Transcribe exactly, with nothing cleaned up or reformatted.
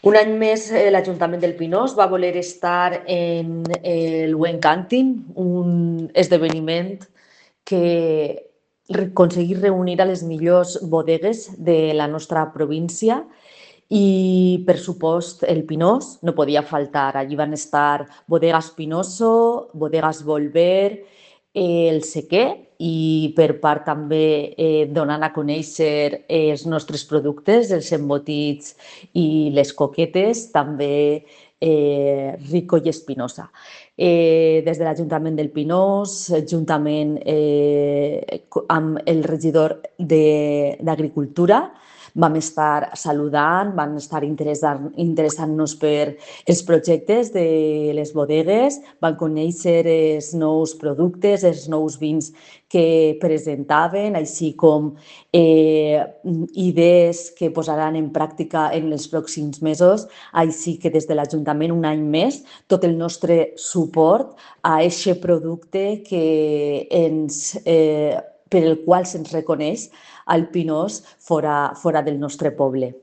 Un any més eh, l'Ajuntament del Pinós va voler estar en el Wen Canting, un esdeveniment que re- aconseguir reunir a les millors bodegues de la nostra província i, per supost, el Pinós no podia faltar. Allí van estar Bodegas Pinoso, Bodegas Volver, eh, el Sequer i per part també eh, donant a conèixer eh, els nostres productes, els embotits i les coquetes, també eh, Rico i Espinosa. Eh, des de l'Ajuntament del Pinós, juntament eh, amb el regidor d'Agricultura, vam estar saludant, van estar interessant, interessant-nos per els projectes de les bodegues, van conèixer els nous productes, els nous vins que presentaven, així com eh, idees que posaran en pràctica en els pròxims mesos. Així que des de l'Ajuntament, un any més, tot el nostre suport a aquest producte que ens, eh, per el qual se'ns reconeix al Pinós fora, fora del nostre poble.